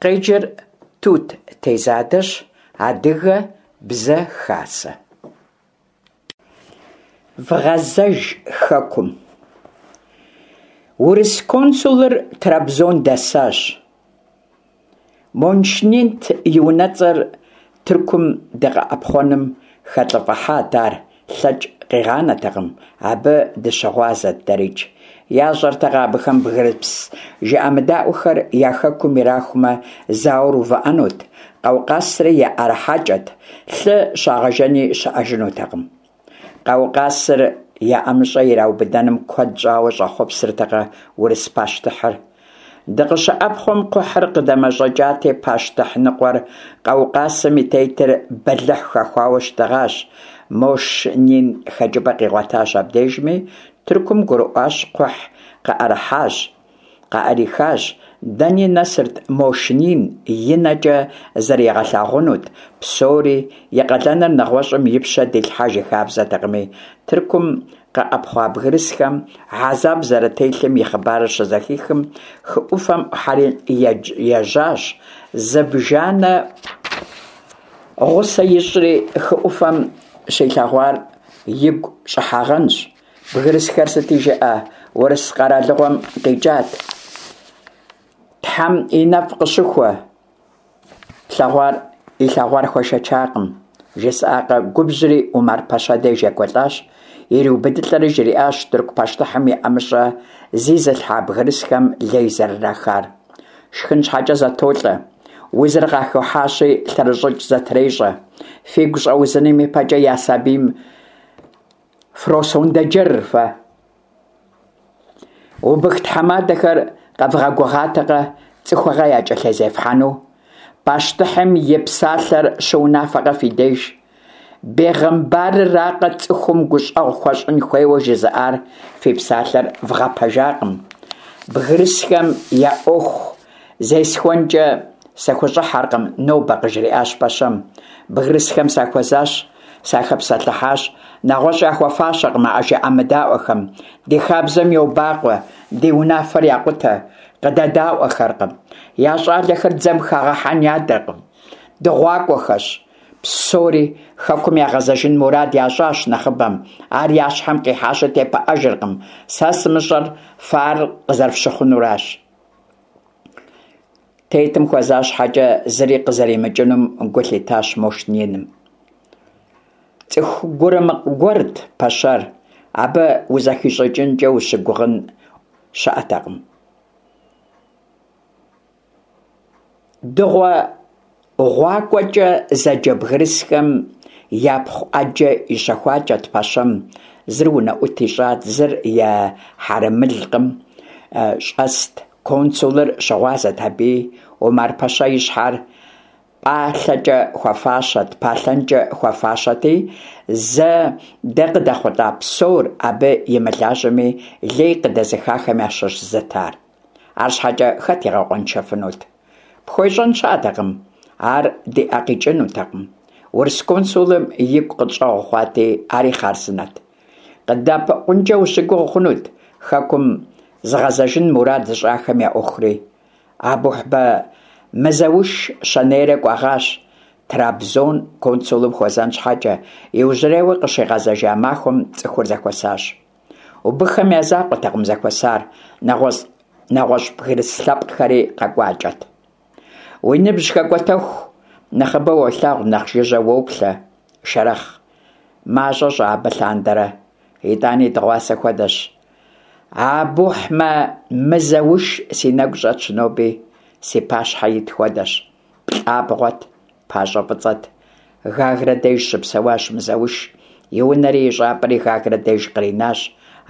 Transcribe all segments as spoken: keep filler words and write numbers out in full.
Къеджэр Тут Тезадэщ, Адыгэ Бзэ Хасэ. Вгъэзэж хэкум! Урыс консулыр Трабзон дэсащ. Мошнинт и унэцӀэр, Тыркум дыгъэӀэпхъуэным хэлӀыфӀыхьат ар, лъэкӀ къигъанэтэкъым, абы дыщыгъуазэт дэрикӀ. ЯщӀэртэкъэ абыхэм бгырыс жыӀэмыдаӀуэхэр я хэкум ирахумэ, зауэр увыӀэнут, Къаукъазри яӀэрыхьакӀэт, лъы щагъэжэни щыӀэжынутэкъым. Къаукъазыр я ӀэмыщӀэ ираубыдэным куэд щӀауэ щӀэхъуэпсыртэкъэ урыс пащтыхьыр? ДыкъыщыӀэпхъуэм кхъухьыр къыдэмэщӀэкӀати, пащтыхь ныкъуэр Къаукъазым и тетыр бэлыхь хэхуауэ щытыгъащ. Мошнин хэкӀыпӀэ къигъуэтащ абдежми, Тыркум гурыӀуащ, кхъухь къыӀэрыхьащ, къыӀэрихащ. Дэни нэсырт Мошнин, и нэкӀэ зригъэлъагъунут псори, и къалэныр нэгъуэщӀым и пщэ дилъхьэж и хабзэтэкъыми, Тыркум къэӀэпхъуа бгырысхэм хьэзаб зэрателъым и хъыбарыр щызэхихым, хы Ӏуфэм Ӏухьэри ежьащ, зыбжанэ гъусэ ищӀри, хы Ӏуфэм щилъэгъуар игу щӀыхьагъэнщ. Бгырысхэр сыти жыӀэ, урыс къэралыгъуэм къикӀат. Тхьэм и нэфӀ къыщыхуэ, плъэгъуар илъэгъуар хуэшэчакъым. ЖысӀакъэ, губжьри Умар-пэщэ деж екӀуэлӀащ, ириубыдылӀэри жриӀащ тырку пащтыхьым и ӀэмыщӀэ зизылъхьа бгырысхэм лей зэрырахар. Шхын щхьэкӀэ зэтолӀэ, узыр къахыхьащи, лъэрыщӀыкӀ зэтрещӀэ. Фигу щӀэузыным и пэкӀэ я сабийм фросондэджэр фэ. Убых тхьэмадэхэр къэвгъэгугъатэкъэ цӀыхугъэ якӀэлъызефхьэну? Пащтыхьым и псалъэр щыунафэкъэ фи деж? Бегъымбарыракъэ цӀыхум гущӀэгъу хуэщӀын хуейуэ жызыӀар, фи псалъэр вгъэпэжакъым. Бгырысхэм я Ӏуэху зесхуэнкӀэ сыхущӀыхьэркъым нобэ, къыжриӀащ пэщэм. Бгырысхэм сахуэзащ, сахэпсэлъыхьащ. НэгъуэщӀ яхуэфащэкъым а жыӀэмыдаӀуэхэм. Ди хабзэм йобакъуэ, ди унафэр якъутэ, къыдэдаӀуэхэркъым. Я щӀалэхэр дзэм хагъэхьэн ядэркъым. ДыгъуакӀуэхэщ псори, хэкум ягъэзэжын мурад ящӀащ нэхъыбэм. Ар я щхьэм къихьащи тепыӀэжыркъым. Сэ сымыщӀэр фэ ар къызэрыфщыхъунуращ. Тетым хуэза щхьэкӀэ зыри къызэримыкӀынум гу лъитащ Мошниным. ЦӀыху гурымыкъ гуэрт пэщэр, абы узэхищӀыкӀынкӀэ ущыгугъын щыӀэтэкъым. ДыгъуэгъуакӀуэкӀэ зэджэ бгырысхэм япхъу Ӏэджэ ищэхуакӀэт пэщэм, зыр унэӀут ищӀат, зыр и хьэрэмылъкъым щӀэст. Консулыр щыгъуазэт абыи. Умар-пэщэ и щхьэр пӀалъэкӀэ хуэфащэт, палъэнкӀэ хуэфащэти, зэ дэ къыдэхъулӀа псор абы имылажьэми, лей къыдэзыхахэм ящыщ зыт ар. АрщхьэкӀэ хэт игъэкъуэншэфынут? ПхуещӀэн щыӀэтэкъым, ар ди Ӏэ къикӀынутэкъым. Урыс консулым игу къытщӀэгъу хъуати, ари хъарзынэт. КъыддэӀэпыкъункӀэ ущыгугъ хъунут хэкум зыгъэзэжын мурад зыщӀахэм я Ӏуэхури. Абухьбэ Мызэуш щэнейрэ кӀуэгъащ Трабзон консулым хуэзэн щхьэкӀэ, иужьрейуэ къыщигъэзэжа махуэм цӀыхур зэхуэсащ. Убыххэм я закъуэтэкъым зэхуэсар, нэгъуэщӀ нэгъуэщӀ бгырыс лъэпкъхэри къэкӀуакӀэт. Уи ныбжь хэкӀуэтэху, нэхъыбэ уолъагъу, нэхъ жыжьэ уоплъэ, Шэрэхъ. МащӀэ щӀа абы лъандэрэ? ИтӀани дыгъуасэ хуэдэщ. Абухьмэ Мызэуш си нэгу щӀэтщ ноби, си пащхьэ ит хуэдэщ. ПлӀабгъуэт, пащӀэ фӀыцӀэт. Гагрэ деж щыпсэуащ Мызэуш. И унэри и щӀапӀэри Гагрэ деж къринащ.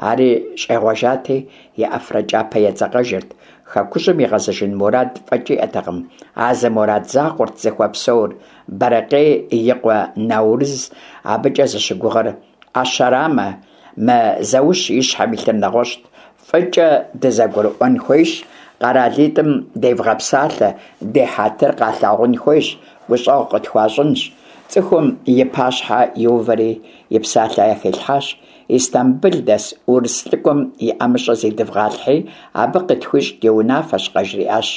Ари щӀегъуэжати, и Ӏэфрэ кӀапэ едзэкъэжырт. Хэкужьым игъэзэжын мурад фӀэкӀ иӀэтэкъым. А зы мурад закъуэрт зыхуэпсэур. Бэрэкъей и къуэ Наурыз абыкӀэ зыщыгугъыр Ӏэщэрамэ, Мызэуш и щхьэм илъыр нэгъуэщӀт. ФӀыкӀэ дызэгурыӀуэн хуейщ, къэралитӀым девгъэпсалъэ, ди хьэтыр къалъагъун хуейщ, гущӀэгъу къытхуащӀынщ. ЦӀыхум и пащхьэ иувэри и псалъэ яхилъхьащ: Истамбыл дэс урыс лӀыкӀуэм и ӀэмыщӀэ зидывгъалъхьи, абы къытхуищӀ ди унафэщ, къажриӀащ.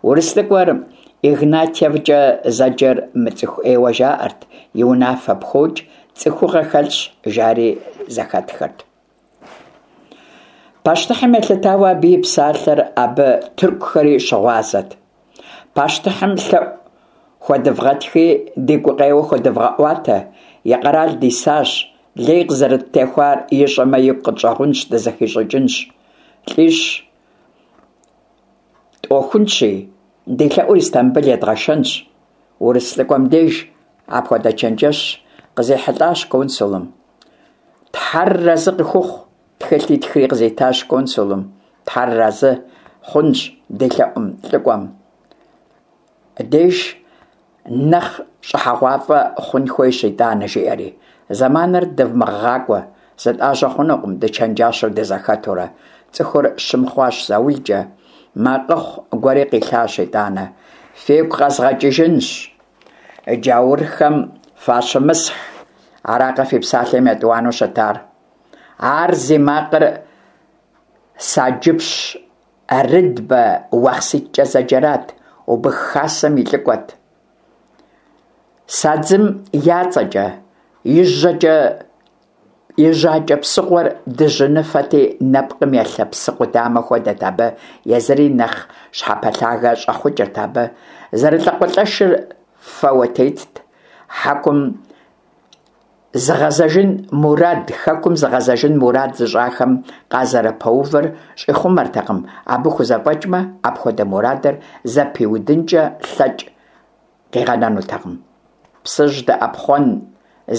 Урыс лӀыкӀуэр Игнатьевкӏэ зэджэр мыцӏыху ӏейуэ жаӏэрт, и унафэ пхокӏ, цӏыхугъэ хэлъщ, жари зэхэтхырт. Пащтыхьым елъытауэ абы и псалъэр, абы тыркухэри щыгъуазэт. Пащтыхьым лъэӏу хуэдывгъэтхи, ди гукъеуэ хуэдывгъэӏуатэ, и къэрал дисащ, лей къызэрыттехуар ищӏэмэ, игу къытщӏэгъунщ, дызэхищӏыкӏынщ. ЛӀищ тӀуэхунщи, ди лъэӏур Истамбыл едгъэшэнщ, урыс лӏыкӏуэм деж. Апхуэдэ чэнджэщ къызихьэлӏащ консулым. Тхьэр арэзы къыхухъу, тхылъ итхри къызитащ консулым. Тхьэр арэзы хъунщ ди лъэӏум лӏыкӏуэм деж нэхъ щӏыхьэгъуафӏэ хъун хуейщ итӏанэ, жиӏэри. Зэманыр дывмыгъэгъакӏуэ, зытӏажьэ хъунукъым, дычэнджащэу дызэхэтурэ. Цӏыхур щым хъуащ заулкӏэ, макъыхъу гуэри къилъащ итӏанэ. Фигу къэзгъэкӏыжынщ, джаурхэм фащымысхь, аракъэ фи псалъэм етӏуанэу щытар? Ар зи макъыр Саджыпщ Рыдбэ Уахъситкӏэ зэджэрат, убых хасэм и лӏыкӏуэт. Садзым я цӏэкӏэ, и жьакӏэ псыгъуэр дыжьыныфэти, нэпкъым елъэ псы къудамэ хуэдэт абы, езыри нэхъ щхьэпэлъагэ щӏэхъукӏырт абы. Зэрылӏакъуэлӏэшыр фэуэ тетт. Хьэкум зыгъэзэжын мурад, хэкум зыгъэзэжын мурад зыщӏахэм къазэрыпэувыр щӏихъумэртэкъым, абы хузэфӏэкӏмэ, апхуэдэ мурадыр зэпиудынкӏэ лъэкӏ къигъэнэнутэкъым. Псыжь дыӏэпхъуэн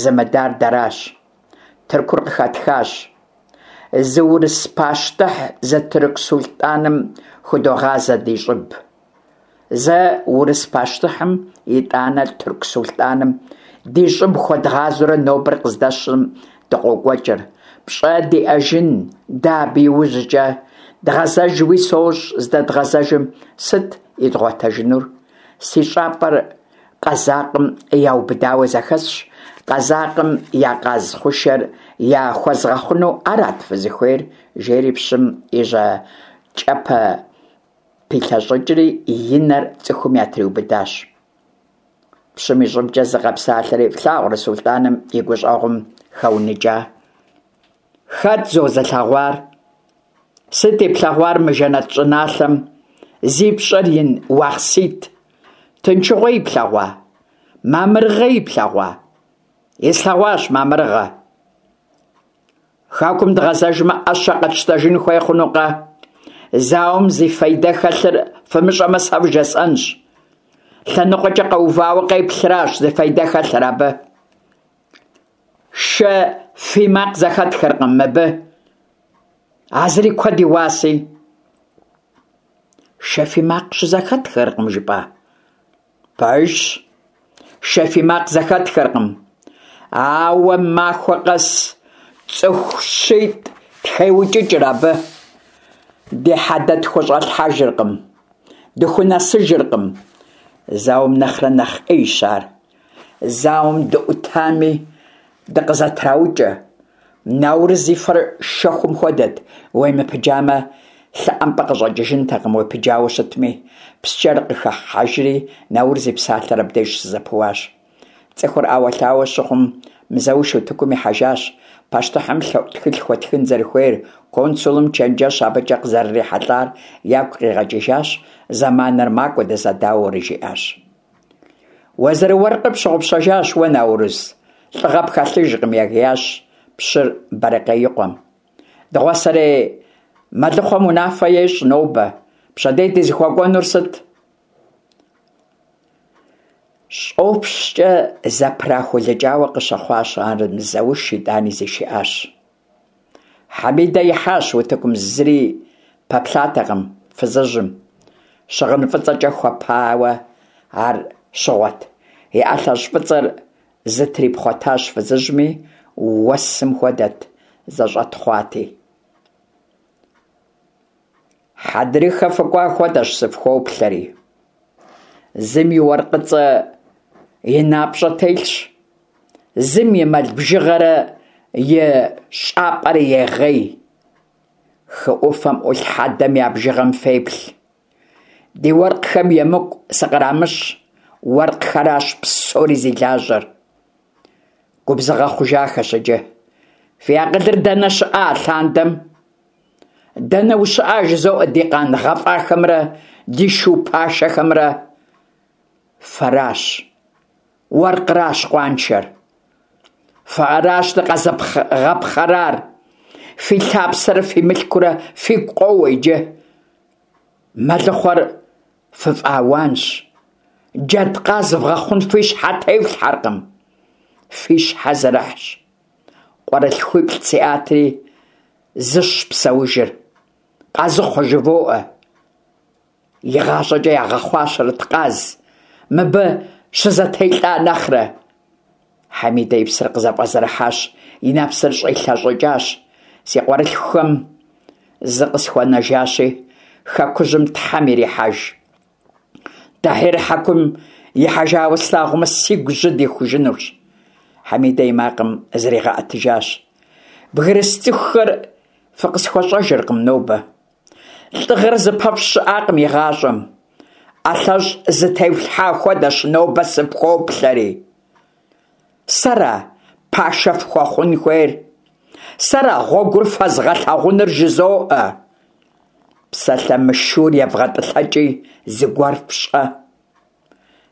зымыдар дэращ. Тыркур къыхэтхащ. Зы урыс пащтыхь, зы тырку сулътӏаным худогъазэ ди щӏыб. Зэ урыс пащтыхьым, итӏанэ тырку сулътӏаным ди щӏыб хуэдгъазэурэ нобэр къыздэсым дыкъокӏуэкӏыр. Пщӏэ диӏэжын дэ абы иужькӏэ? Дгъэзэжуи сощӏ, здэдгъэзэжым сыт идгъуэтэжынур? Си щӏапӏэр къэзакъым яубыдауэ зэхэсщ. Къэзакъым я къаз хъушэр яхуэзгъэхъуну арат фызыхуейр? Жери пщым и жьакӏэпэ пилъэщӏыкӏри и нэр цӏыхум ятриубыдащ. Пщым и щӏыбкӏэ зы къэпсалъэри, флъагъурэ сулътӏаным и гущӏэгъум хэуныкӏа? Хэт зо зылъэгъуар? Сыт иплъэгъуар мы жэнэт щӏыналъэм зи пщӏэр ин Уахъсит? Тыншыгъуэ иплъэгъуа? Мамырыгъэ иплъэгъуа? Ислъэгъуащ мамырыгъэ. Хэкум дгъэзэжмэ, ӏэщэ къэтщтэжын хуей хъунукъэ? Зауэм зи фейдэ хэлъыр фымыщӏэмэ, сэ вжесӏэнщ. Лъэныкъуэкӏэ къэувауэ къеплъращ зи фейдэ хэлъыр абы. Шэ фий макъ зэхэтхыркъым мыбы. А зыри куэд и уаси. Шэ фий макъ щызэхэтхыркъым, жыпӏа? Пэжщ, шэ фий макъ зэхэтхыркъым. Ауэ махуэ къэс цӏыху щитӏ тхеукӏыкӏыр абы. Ди хьэдэ тхущӏэлъхьэжыркъым, дыхунэсыжыркъым. Зауэм нэхърэ нэхъ ӏейщ ар. Зауэм дыӏутами, дыкъызэтраукӏэ. Наурыз и фэр шэхум хуэдэт, уемыпыджамэ, лъыӏэмпӏэ къыщӏэкӏыжынтэкъым, уепыджауэ щытми. Псчэр къыхыхьэжри, Наурыз и псалъэр абдеж щызэпыуащ. Цӏыхур ӏэуэлъауэ щыхъум, Мызэуш утыкум ихьэжащ. Пащтыхьым лъэӏу тхылъ хуэтхын зэрыхуейр, консулым чэнджэщ абыкӏэ къызэрырихьэлӏар ягу къигъэкӏыжащ, зэманыр макӏуэ дызэдауэурэ жиӏащ. Уэзырыуэркъыр пщыгъупщэжащ уэ, Наурыз, лӏыгъэ пхэлъыжкъым, егиящ пщыр Бэрыкъей и къуэм. Дыгъуасэрей мэлыхъуэм унафэ ещӏ нобэ, пщэдей дызыхуэкӏуэнур сыт? ЩӀопщкӀэ зэпрахулыкӀауэ къыщыхъуащ ар Мызэуш, итӀани зишыӀащ. Хьэмидэ ихьащ утыкум, зыри пэплъатэкъым фызыжьым. Щыгъын фӀыцӀэкӀэ хуэпауэ ар щыгъуэт. И ӀэлъэщӀ фӀыцӀэр зытрипхъуэтащ фызыжьми, уэсым хуэдэт, зэщӀэтхъуати. Хьэдрыхэ фыкӀуа хуэдэщ сыфхоплъэри. Зым и уэркъыцӀэ и напщӀэ телъщ, зым и мэл бжыгъэрэ и щӀапӀэрэ егъей. Хы Ӏуфэм Ӏулъ хьэдэм я бжыгъэм феплъ. Ди уэркъхэм емыкӀу сыкърамыщӀ, уэркъхэращ псори зи лажьэр. Губзыгъэ хъужахэщ иджы. Фи акъылыр дэнэ щыӀа алъандэм? Дэнэ ущыӀа, жызоӀэ, ди къан гъэфӀахэмрэ ди шу пашэхэмрэ? Фэращ, уэркъращ къуаншэр. Фэращ дыкъэзыгъэпхъэрар. Фи лъапсэрэ фи мылъкурэ фигу къоуэ иджы. Мэлыхъуэр фыфӀауанщ. Джэдкъаз вгъэхъун фи щхьэ тефлъхьэркъым. Фи щхьэ зэрыхьщ. КъуэрылъхуиплӀ сиӀати, зыщ псэужыр. Къазыхъуэ жывоӀэ. ИгъащӀэкӀэ ягъэхъуащэрэт къаз, мыбы щызэтелӀа нэхърэ. Хьэмидэ и псэр къызэфӀэзэрыхьащ, и нэпсыр щӀилъэщӀыкӀащ. Си къуэрылъхухэм зы къысхуэнэжащи, хэкужьым Тхьэм ирихьэж. Дахьир хьэкум ихьэжауэ слъагъумэ, сигу жьы дихужынущ. Хьэмидэ и макъым зригъэӀэтыжащ. Бгырыс цӀыхухэр фыкъысхуэщӀэжыркъым нобэ. ЛӀыгъэр зыпэфщӀ щыӀакъым игъащӀэм. ӀэлъэщӀ зытефлъхьа хуэдэщ нобэ сыфхоплъэри. Сэра пашэ фхуэхъун хуейр? Сэра гъуэгур фэзгъэлъагъунур жызоӀэ. Псалъэ мышыур евгъэтӀылъэкӀи, зыгуэр фщӀэ.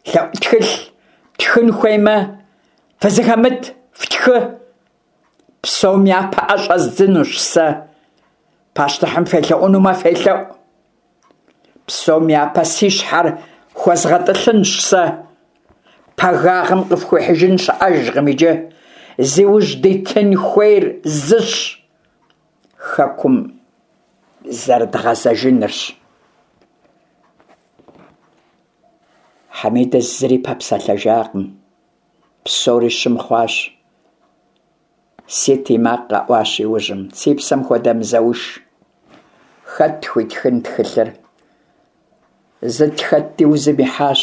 ЛъэӀу тхылъ птхын хуеймэ, фызыхэмыт фтхы. Псом япэ Ӏэ щӀэздзынущ сэ. Пащтыхьым фелъэӀунумэ, фелъэӀу. Псом япэ си щхьэр хуэзгъэтӀылъынщ сэ. Пагагъым къыфхуихьыжын щыӀэжкъым иджы. Зи ужь дитын хуейр зыщ – хэкум зэрыдгъэзэжынырщ. Хьэмидэ зыри пэпсэлъэжакъым. Псори щым хъуащ. Сит и макъ къэӀуащ иужьым. Си псэм хуэдэ Мызэуш. Хэт тхуитхын тхылъыр? Зы тхэтти узым ихьащ.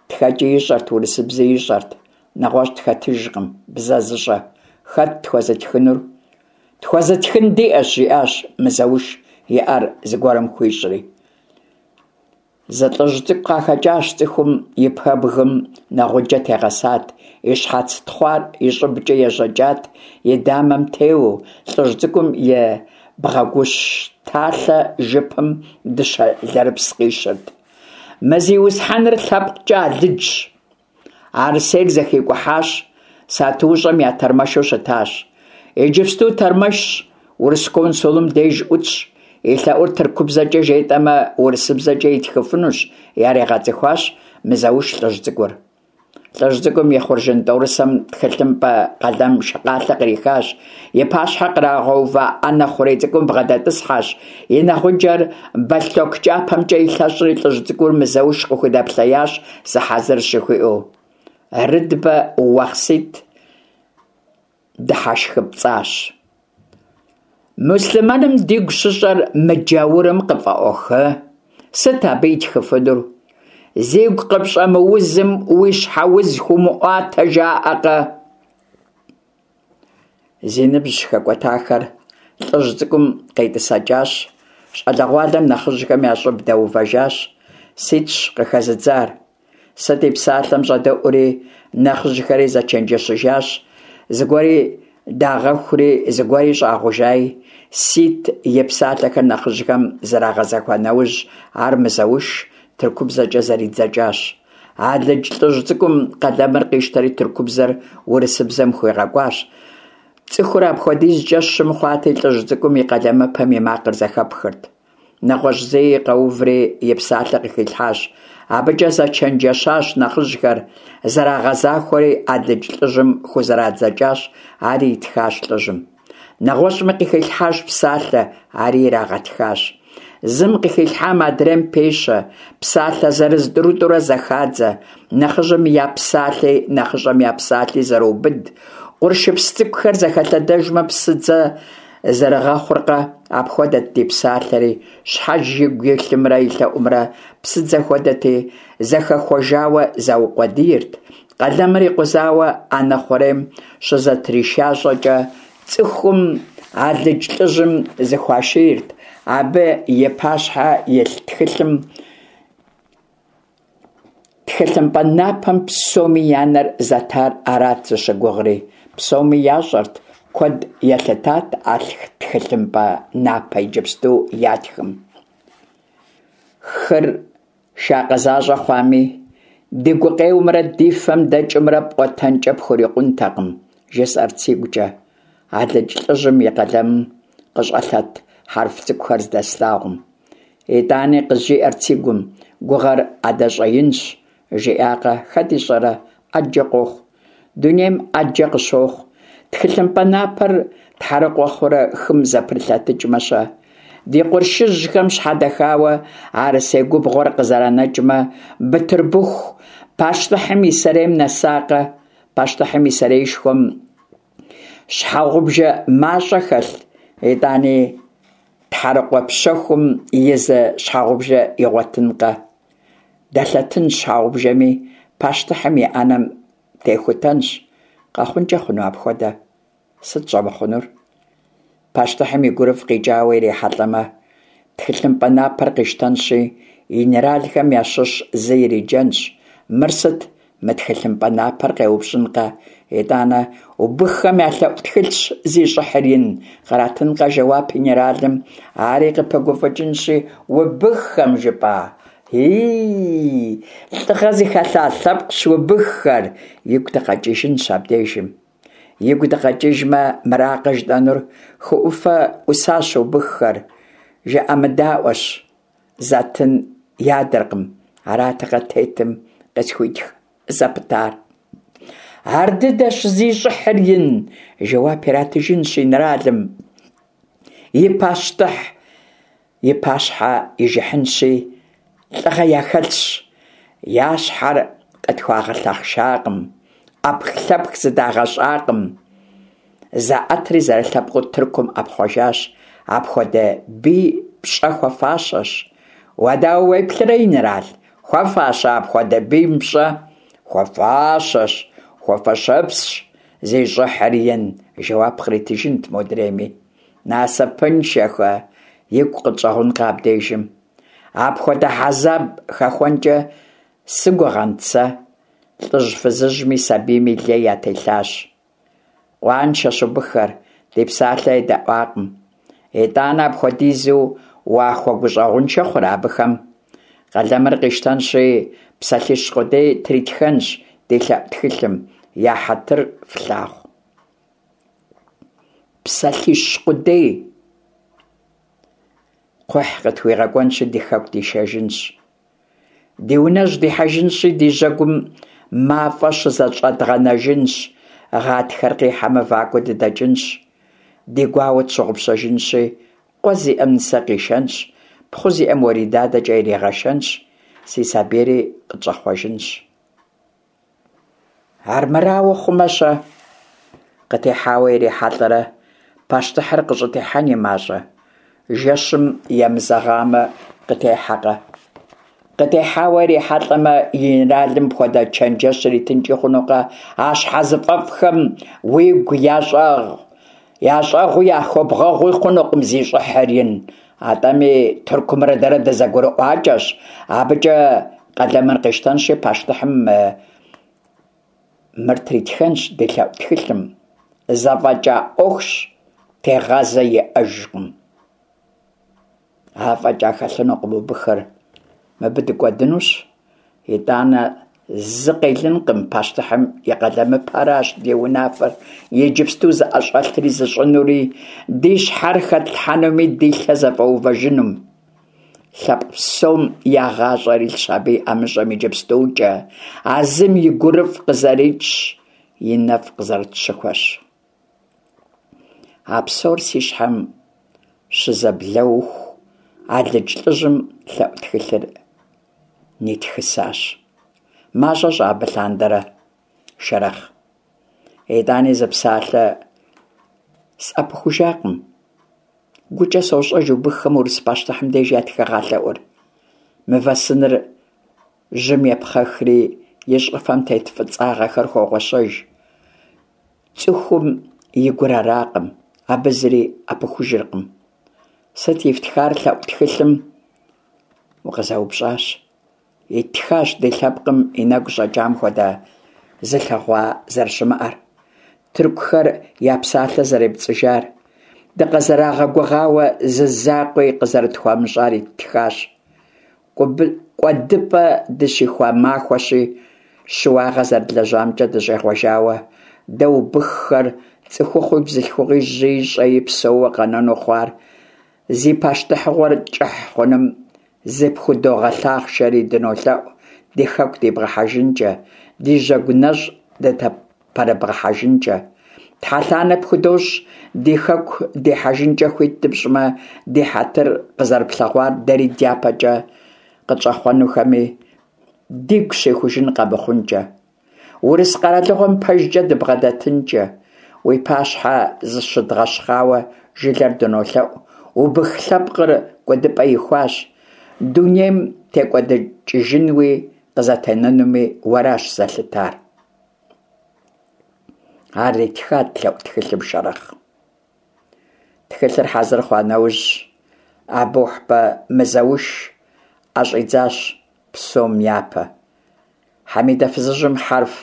ТхэкӀи ищӀэрт, урысыбзи ищӀэрт. НэгъуэщӀ тхэтыжкъым бзэ зыщӀэ. Хэт тхуэзытхынур? Тхуэзытхын диӀэщ, жиӀащ Мызэуш и Ӏэр зыгуэрым хуищӀри. Зы лӀыжь цӀыкӀу къахэкӀащ цӀыхум, и пэбгым нэгъуджэ тегъэсат, и щхьэц тхъуар и щӀыбкӀэ ежьэкӀат, и дамэм теуэу. ЛӀыжь цӀыкӀум и бгъэгущталъэ жыпым дыщэ лэрыпс къищырт. Мы зиусхьэныр лъэпкъкӀэ алыджщ. Арысейр зэхикӀухьащ, сатуущӀэм я тэрмэшу щытащ. Иджыпсту тэрмэшщ, урыс консулым деж Ӏутщ. И лъэӀур тыркубзэкӀэ жетӀэмэ, урысыбзэкӀэ итхыфынущ, яригъэцӀыхуащ Мызэуш лӀыжь цӀыкӀур. ЛӀыжь цӀыкӀум и хъуржын тӀорысэм тхылъымпӀэ, къалэм шакъалъэ кърихащ. И пащхьэ кърагъэува Ӏэнэ хъурей цӀыкӀум бгъэдэтӀысхьэщ. И нэгъуджэр бэлътоку кӀапэмкӀэ илъэщӀри, лӀыжь цӀыкӀур Мызэуш къыхудэплъеящ, сыхьэзырщ жыхуиӀэу. Рыдбэ Уахъсит дыхьэшхыпцӀащ. Муслъымэным дигу щыщӀэр мы джаурым къыфӀэӀуэху? Сыт абы итхыфынур? Зигу къыпщӀэмыузым уи щхьэ уз хуумыӀуатэ, жаӀэкъэ? Зи ныбжь хэкӀуэтахэр лӀыжь цӀыкӀум къетӀысэкӀащ. ЩӀалэгъуалэр нэхъыжьхэм я щӀыб дэувэжащ. Ситщ къыхэзыдзар. Сыт и псалъэм щӀэдэӀури, нэхъыжьхэри зэчэнджэщыжащ. Зыгуэри дагъэхури, зыгуэри щӀагъужаи. Сит и псалъэхэр нэхъыжьхэм зэрагъэзэхуа нэужь, ар Мызэуш тыркубзэкӀэ зэридзэкӀащ. Алыдж лӀыжь цӀыкӀум къалэмыр къищтэри тыркубзэр урысыбзэм хуигъэкӀуащ. ЦӀыхур апхуэдизкӀэ щым хъуати, лӀыжь цӀыкӀум и къалэмыпэм и макъыр зэхэпхырт. НэгъуэщӀ зыи къэуври и псалъэ къыхилъхьащ. АбыкӀэ зэчэнджэщащ нэхъыжьхэр, зэрагъэзахуэри алыдж лӀыжьым хузэрадзэкӀащ, ари итхащ лӀыжьым. НэгъуэщӀми къыхилъхьащ псалъэ, ари ирагъэтхащ. Зым къыхилъхьам адрейм пещэ, псалъэ зырыз-тӀурытӀурэ зэхадзэ, нэхъыжьым я псалъи нэхъыщӀэм я псалъи зэроубыд. Къуршыпс цӀыкӀухэр зэхэлъэдэжмэ, псыдзэ зэрыгъэхъуркъэ, апхуэдэт ди псалъэри, щхьэж игу илъымрэ и лъэӀумрэ псыдзэ хуэдэти, зэхэхуэжауэ заукъуэдийрт. Къалэмыр икъузауэ Ӏэнэ хъурейм щызэтришащӀэкӀэ, цӀыхум алыдж лӀыжьым зыхуашийрт, абы и пащхьэ илъ тхылъым Тхылъымпӏэ напэм псоми я нэр зэтар арат зыщыгугъри. Псоми ящӏэрт, куэд елъытат а тхылъымпӏэ напэ иджыпсту ятхым. Хыр шакъэ защӏэ хъуами, ди гукъеуэмрэ ди фэм дэкӏымрэ пӏуэтэнкӏэ пхурикъунтэкъым, жысӏэрт сигукӏэ, алыдж лӏыжьым и къалэмым къыщӏэлъэт хьэрф цӏыкӏухэр здэслъагъум. Итӏани къызжиӏэрт си гум: гугъэр адэ щӏэинщ, жиӏакъэ, хэт ищӏэрэ, ӏэджэ къохъу. Дунейм ӏэджэ къыщохъу. Тхылъымпӏэ напэр тхьэрыкъуэ хъурэ хым зэпрылъэтыкӏмэ-щэ? Ди къуршыжьхэм щхьэдэхауэ Арысей губгъуэр къызэранэкӏмэ, Бытырбыху пащтыхьым и сэрейм нэсакъэ? Пащтыхьым и сэреишхуэм щхьэгъубжэ мащӏэ хэлъ, итӏани тхьэрыкъуэ пщэхум и зы щхьэгъубжэ игъуэтынкъэ? Дэлъэтынщ щхьэгъубжэми, пащтыхьым и ӏэнэм техутэнщ. Къэхъункӏэ хъуну апхуэдэ? Сыт щӏэмыхъунур? Пащтыхьым и гурыфӏ къикӏауэ ирихьэлӏэмэ, тхылъымпӏэ напэр къищтэнщи, генералхэм ящыщ зы ириджэнщ. Мыр сыт, мы тхылъымпӏэ напэр къеупщӏынкъэ? Итӏанэ убыххэм я лъэӏу тхылъщ, зи щӏыхьыр ин, къратынкъэ жэуап генералым, ари къыпыгуфӏыкӏынщи, убыххэм жыпӏа? Ии, лӏыгъэ зыхэлъа лъэпкъщ убыххэр, игу дыкъэкӏыжынщ абдежым. Игу дыкъэкӏыжмэ, мыракъэ жытӏэнур: хы ӏуфэ ӏусащ убыххэр, жыӏэмыдаӏуэщ, затын ядэркъым, аратэкъэ тетым къысхуитх зэпытар. Ар дыдэщ, зи щӏыхьыр ин, жэуап иратыжынщ инэралым. И пащтыхь и пащхьэ ижыхьынщи, лӏыгъэ яхэлъщ, я щхьэр къытхуагъэлъэхъшакъым, ӏэпхлъэпх зыдагъэщӏакъым, заӏэтри зэрылъэпкъыу Тыркум ӏэпхъуэжащ, апхуэдэ бий пщӏэ хуэфащэщ. Уэ дауэ уеплърэ, инэрал, хуэфащэ апхуэдэ бийм пщӏэ? Хуэфащэщ, хуэфэщэпсщ, зи щӏыхьыр ин, жэуап къритыжынт модрейми. Насыпыншэхэ, игу къытщӏэгъункъэ абдежым. Апхуэдэ хьэзаб хэхуэнкӏэ сыгугъэнт сэ. Лӏыжь-фызыжьми сабийми лей ятелъащ. Къуаншэщ убыххэр, ди псалъэ едэӏуакъым. Итӏанэ апхуэдизу уахуэгущӏэгъуншэ хъурэ абыхэм? Къалэмыр къищтэнщи, псалъищ къудей тритхэнщ ди лъэӏу тхылъым: я хьэтыр флъагъу. Псалъищ къудей! Кхъухь къытхуигъэкӏуэнщи, ди хэку дишэжынщ. Ди унэжь дихьэжынщи, ди жьэгум мафӏэ щызэщӏэдгъэнэжынщ, гъатхэр къихьэмэ, вакӏуэ дыдэкӏынщ, ди гуауэ тщыгъупщэжынщи, къуэ зиӏэм нысэ къишэнщ, пхъу зиӏэм уэридадэкӏэ иригъэшэнщ, си сабийри къытщӏэхъуэжынщ. Армырауэ хъумэ-щэ? Къытехьауэ ирихьэлӏэрэ, пащтыхьыр къыщӏытехьэн и мащӏэ? Жэщым емызэгъамэ, къытехьэкъэ? Къытехьауэ ирихьэлӏэмэ, генералым мыпхуэдэ чэнджэщ иритынкӏи хъунукъэ: а щхьэзыфӏэфӏхэм уигу ящӏэгъу, ящӏэгъуи яхуэбгъэгъуи хъунукъым, зи щӏыхьыр ин. Атӏэми Тыркумрэ дэрэ дызэгурыӏуакӏэщ. Абыкӏэ къалэмыр къищтэнщи, пащтыхьым мыр тритхэнщ ди лъэӏу тхылъым: зэфӏэкӏа ӏуэхущ, тегъазэ иӏэжкъым. Афӏэкӏа хэлъынукъым убыхыр, мыбы дыкӏуэдынущ. Итӏанэ зы къелынкъым, пащтыхьым и къалэмыпэращ ди унафэр иджыпсту зыӏэщӏэлъри зыщӏынури, ди щхьэр хэтлъхьэнуми, ди лъэ зэфӏэувэжынум. Лъэпкъ псом я гъащӏэр илъщ абы и ӏэмыщӏэм иджыпстукӏэ, а зым и гурыфӏ къызэрикӏщ, и нэфӏ къызэрытщыхуэщ. А псор си щхьэм щызэблэуху, алыдж лӏыжьым лъэӏу тхылъыр нитхысащ. Мащӏэ щӏа абы лъандэрэ, Шэрэхъ. Итӏани зы псалъэ сӏэпыхужакъым. Гукӏэ сощӏэж убыххэм урыс пащтыхьым деж ятхыгъа лъэӏур. Мывэ сыныр жьым епхъэхри, и щӏыфэм тет фӏыцӏагъэхэр хогъуэщэж. Цӏыхум и гур аракъым, абы зыри ӏэпыхужыркъым. Сыт ифтхар лъэӏу тхылъым? Укъызэупщӏащ. Иттхащ ди лъэпкъым и нэгу щӀэкӀам хуэдэ зылъэгъуа зэрыщымыӀэр, тыркухэр я псалъэ зэрепцӀыжар, дыкъызэрагъэгугъауэ зы закъуи къызэрытхуамыщӀар иттхащ. КӀуэдыпӀэ дыщихуа махуэщи, щыуагъэ зэрыдлэжьамкӀэ дыщӀегъуэжауэ, дэ, убыххэр, цӀыхухъуи бзылъхугъи, жьыи щӀэи, псэууэ къэнэну хъуар, зи пащтыхьыгъуэр кӀыхь хъунум зыпхудогъэлъахъшэри дынолъэӀу ди хэку дибгъэхьэжынкӀэ, ди жьэгу нэщӀ дыпэрыбгъэхьэжынкӀэ. Тхьэлъанэ пхудощӀ ди хэку дихьэжынкӀэ хуит дыпщӀмэ, ди хьэтыр къызэрыплъэгъуар дэри дяпэкӀэ къытщӀэхъуэнухэми дигу щихужын къэмыхъункӀэ. Урыс къэралыгъуэм пэжкӀэ дыбгъэдэтынкӀэ. Уи пащхьэ зыщыдгъэщхъауэ жылэр дынолъэӀу, убых лъэпкъыр кӀуэдыпӀэ ихуащ, дунейм текӀуэдыкӀыжынуми къызэтенэнуми уэращ зэлъытар. Ар итхат лъэӀу тхылъым Шэрэхъ. Тхылъыр хьэзыр хъуа нэужь, Абухьбэ Мызэуш Ӏэ щӀидзащ псом япэ. Хьэмидэ фызыжьым хьэрф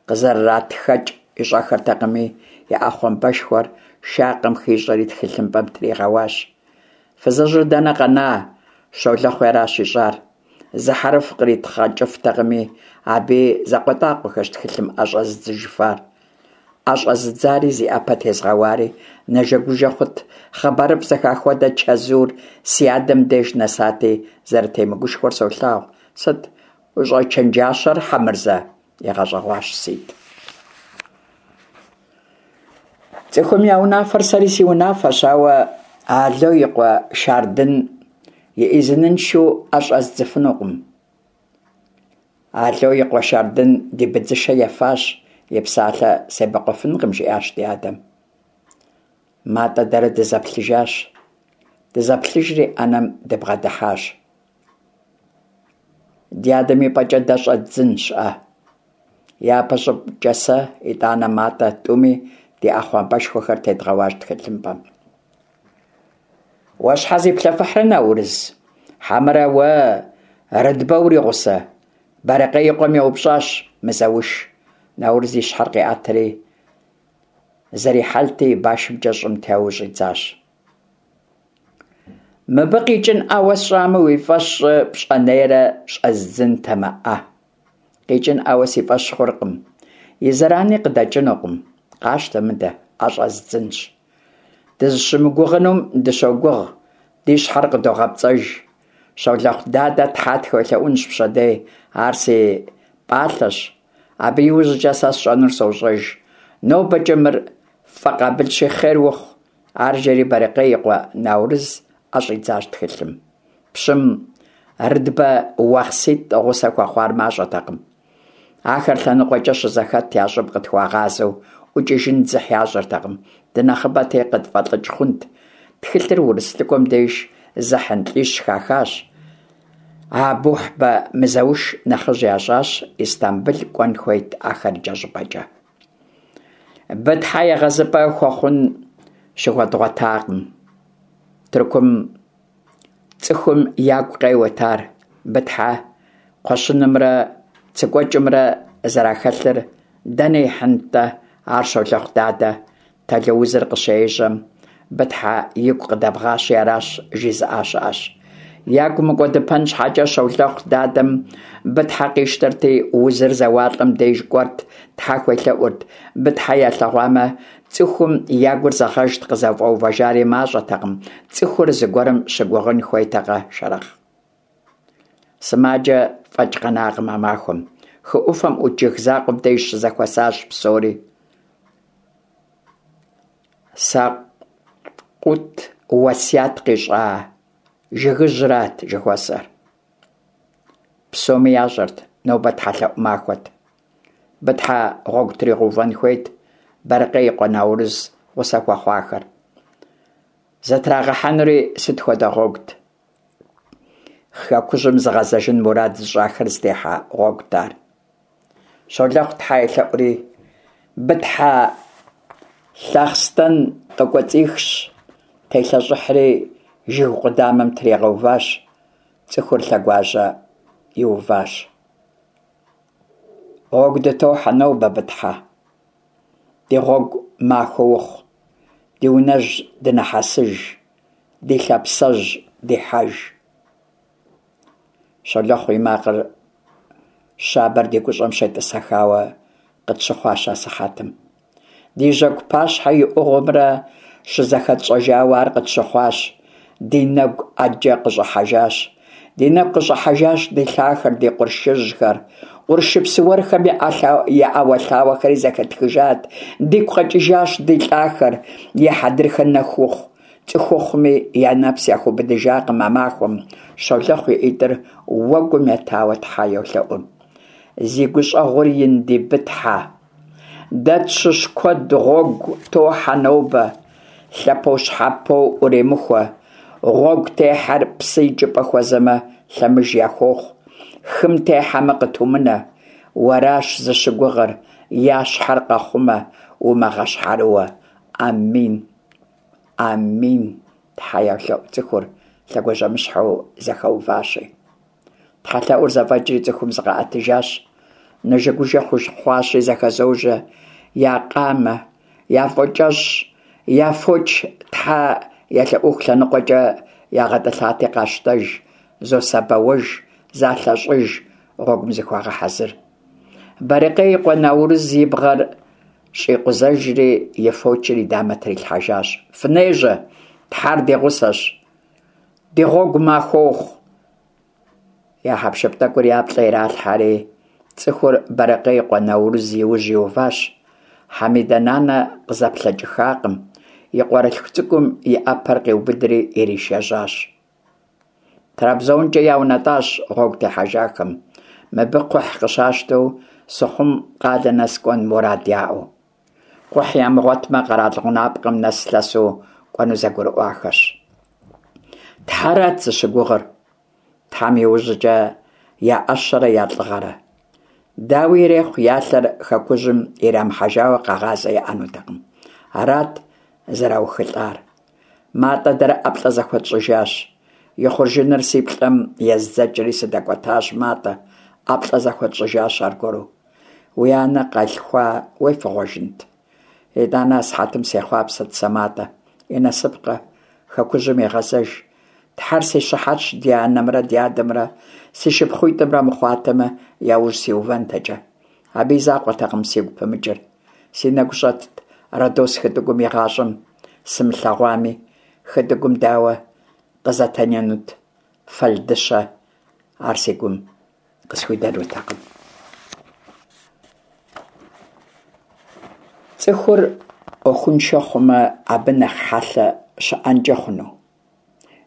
къызэрыратхэкӀ ищӀэххэртэкъыми, и Ӏэпхъуамбэшхуэр шакъэм хищӀэри тхылъымпӀэм тригъэуащ. Фызыжьыр дэнэ къэна, щолэхъури аращ ищӀар. Зы хьэрф къритхъэкӀыфтэкъыми, абыи закъуэтӀакъуэххэщ тхылъым Ӏэ щӀэзыдзэжыфар. Ӏэ щӀэзыдзари зи Ӏэпэ тезыгъэуари нэжэгужэ хъурт, хъыбарыфӀ зэхах хуэдэ, чэзур си адэм деж нэсати, зэрытемыгушхуэр солъагъу. Сыт ущӀэчэнджащэр, Хьэмырзэ? – игъэщӀэгъуащ Сит. ЦӀыхум я унафэр сэри си унафэщ, ауэ Ало и къуэ Шардын и Ӏизыныншэу Ӏэ щӀэздзэфынукъым. Ало и къуэ Шардын ди быдзышэ ефащ, и псалъэ себэкъуэфынкъым, жиӀащ ди адэм. МатӀэ дэрэ дызэплъыжащ. Дызэплъыжри Ӏэнэм дыбгъэдыхьащ. Ди адэм и пӀэкӀэ дэ щӀэддзэнщ Ӏэ. Япэ щӀыкӀэ сэ, итӀанэ МатӀэ, тӀуми ди Ӏэпхъуамбэшхуэхэр тедгъэуащ тхылъымпӀэм. Уэ щхьэ зиплъэфыхьрэ, Наурыз? Хьэмэрэ уэ Рыдбэ уригъусэ? Бэрыкъей и къуэм еупщӀащ Мызэуш. Наурыз и щхьэр къиӀэтри, зэрихьэлти, и башымкӀэ щӀым теуэу щӀидзащ. Мыбы къикӀынӀауэ сщӀамэ, уи фӀэщ щӀы, пщӀэнейрэ щӀэздзынтэмэ Ӏэ. КъикӀынӀауэ си фӀэщ хъуркъым, и зэрани къыдэкӀынукъым. Къащтэ мыдэ, Ӏэ щӀэздзынщ. Дызыщымыгугъынум дыщогугъ, ди щхьэр къыдогъэпцӀэж. Щолэхъу дадэ тхьэ тхуелъэӀунщ пщэдей, ар си пӀалъэщ. Абы иужькӀэ сэ сщӀэнур сощӀэж. НобэкӀэ мыр ффӀэкъабылщи, хъер ухъу. Ар жери Бэрыкъей и къуэ Наурыз Ӏэ щӀидзащ тхылъым. Пщым Рыдбэ уахъситӀ гъусэ хуэхъуар мащӀэтэкъым. Ахэр лъэныкъуэкӀэ щызэхэт я щӀыб къытхуагъазэу ӀукӀыжын дзыхь ящӀыртэкъым, дынэхъыбэти къытфӀэлӀыкӀ хъунт. Тхылъыр урыс лӀыкӀуэм деж зыхьын лӀищ хахащ. Абухьбэ Мызэуш нэхъыжь ящӀащ, Истамбыл кӀуэн хуейт ахэр икӀэщӀыпӀэкӀэ. Бытхьэ егъэзыпӀэ хуэхъун щыхуэдгъуэтакъым. Тыркум цӀыхум ягу къеуэрт ар, Бытхьэ кхъуэщынымрэ цыкӀуэкӀымрэ зэрахэлъыр дэнэ ихьынт-тӀэ ар щолэхъу дадэ тэлоузыр къыщежьэм, Бытхьэ игу къыдэбгъащи аращ, жызыӀа щыӀэщ. Ягу мыкӀуэдыпэн щхьэкӀэ щолэхъу дадэм Бытхьэ къищтэрти, узыр зэуалӀэм деж кӀуэрт, тхьэ хуелъэӀурт. Бытхьэ ялъэгъуамэ, цӀыхум я гур зэгъэжт, къызэфӀэувэжари мащӀэтэкъым, цӀыхур зыгуэрым щыгугъын хуейтэкъэ, Шэрэхъ. Сымаджэ фӀэкӀ къэнакъым а махуэм. Хы Ӏуфэм Ӏут жыг закъуэм деж щызэхуэсащ псори. Сакъут уэсят къищӀа жыгыжьрат жыхуэсӀэр. Псоми ящӀэрт, нобэ тхьэлъэӀу махуэт. Бытхьэ гъуэгу тригъэувэн хуейт Бэрыкъей и къуэ Наурыз гъусэ хуэхъуахэр. Зытрагъэхьэнури сыт хуэдэ гъуэгут? Хэкужьым зыгъэзэжын мурад зыщӀахэр зытехьэ гъуэгут ар. Щолэхъу тхьэ елъэӀури, Бытхьэ лъахъстэн къыкӀуэцӀихщ, телъэщӀыхьри, жыг къудамэм тригъэуващ, цӀыхур лъэгуажьэмыщхьэу. иуващ. Гъуэгу дытохьэ нобэ, Бытхьэ. Ди гъуэгу махуэ ухъу, ди унэжь дынэхьэсыж, ди лъапсэжь дихьэж. Щолэхъу и макъ щабэр ди гущӀэм щетӀысэхауэ къытщыхъуащ асыхьэтым. Ди жьэгу пащхьэ и Ӏугъуэмрэ щызэхэтщӀэжауэ ар къытщыхъуащ, ди нэгу Ӏэджэ къыщӀыхьэжащ. Ди нэгу къыщӀыхьэжащ ди лъахэр, ди къуршыжьхэр. Къуршыпс уэрхэм я Ӏэуэлъауэхэри зэхэтхыжат, дигу къэкӀыжащ ди лӀахэр, я хьэдрыхэ нэху ухъу, цӀыхухъуми я нэпс яхуэубыдыжакъым а махуэм. Щолэхъу и ӀитӀыр уэгум етауэ тхьэ йолъэӀу: Зи гущӀэгъур ин ди Бытхьэ, дэ тщыщ куэд гъуэгу тохьэ нобэ, лъэпощхьэпо Ӏуремыхуэ. Гъуэгу техьэр псы икӀыпӀэ хуэзэмэ, лъэмыж яхуохъу, хым техьэмэ, къытумынэ. Уэращ зыщыгугъыр, я щхьэр къэхъумэ, умыгъэщхьэрыуэ. Амин! Амин! Тхьэ йолъэӀу цӀыхур, лъэгуажьэмыщхьэу зэхэуващи. ТхьэлъэӀур зэфӀэкӀри, цӀыхум зыкъаӀэтыжащ. Нэжэгужэ хъуащи, зэхэзожэ, я къамэ, я фокӀэщӀ, я фоч тхьэ елъэӀуху лъэныкъуэкӀэ ягъэтӀылъати къащтэж, зосабэуэж, залъэщӀыж, гъуэгум зыхуагъэхьэзыр. Барэкъей и къуэ Наурыз и бгъэр щӀикъузэжри и фочыр и дамэ трилъхьэжащ. Фынежьэ, Тхьэр ди гъусэщ, ди гъуэгу махуэ ухъу! Я хьэпшып тӀэкӀур я плӀэ иралъхьэри, цӀыхур Барэкъей и къуэ Наурыз и ужь иуващ. Хьэмидэ-нанэ къызэплъэкӀыххакъым, и къуэрылъху цӀыкӀум и Ӏэпэр къиубыдри иришэжьащ. ТрабзонкӀэ яунэтӀащ гъуэгу техьэжахэм, мыбы кхъухь къыщащтэу Сыхъум къалэ нэс кӀуэн мурад яӀэу. Кхъухь ямыгъуэтмэ, къэрал гъунапкъэм нэс лъэсу кӀуэну зэгурыӀуахэщ. Тхьэрат зыщыгугъыр, Тхьэм иужькӀэ я Ӏэщэрэ я лӀыгъэрэ. Дауи ирехъу, я лъэр хэкужьым ирамыхьэжауэ къэгъазэ яӀэнутэкъым. Арат зэраухылӀар. МатӀэ дэрэ ӀэплӀэ зэхуэтщӀыжащ. И хъуржыныр си плӀэм ездзэкӀри сыдэкӀуэтащ МатӀэ, ӀэплӀэ зэхуэтщӀыжащ аргуэру. Уи анэ къэлъхуа уефыгъуэжынт? ИтӀанэ асыхьэтым сехъуапсэрт сэ МатӀэ. И насыпкъэ, хэкужьым егъэзэж. Тхьэр си щыхьэтщ, ди анэмрэ ди адэмрэ, си шыпхъуитӀымрэ мыхъуатэмэ, я ужь сиувэнтэкӀэ. Абы и закъуэтэкъым сигу пымыкӀыр. Си нэгу щӀэтт Родос хытӀыгум игъащӀэм сымылъэгъуами, хытӀыгум дауэ къызэтенэнут фэлдыщэ, ар си гум къысхуидэнутэкъым. ЦӀыхур Ӏуэхуншэ хъумэ, абы нэхъ хьэлъэ щыӀэнкӀэ хъуну?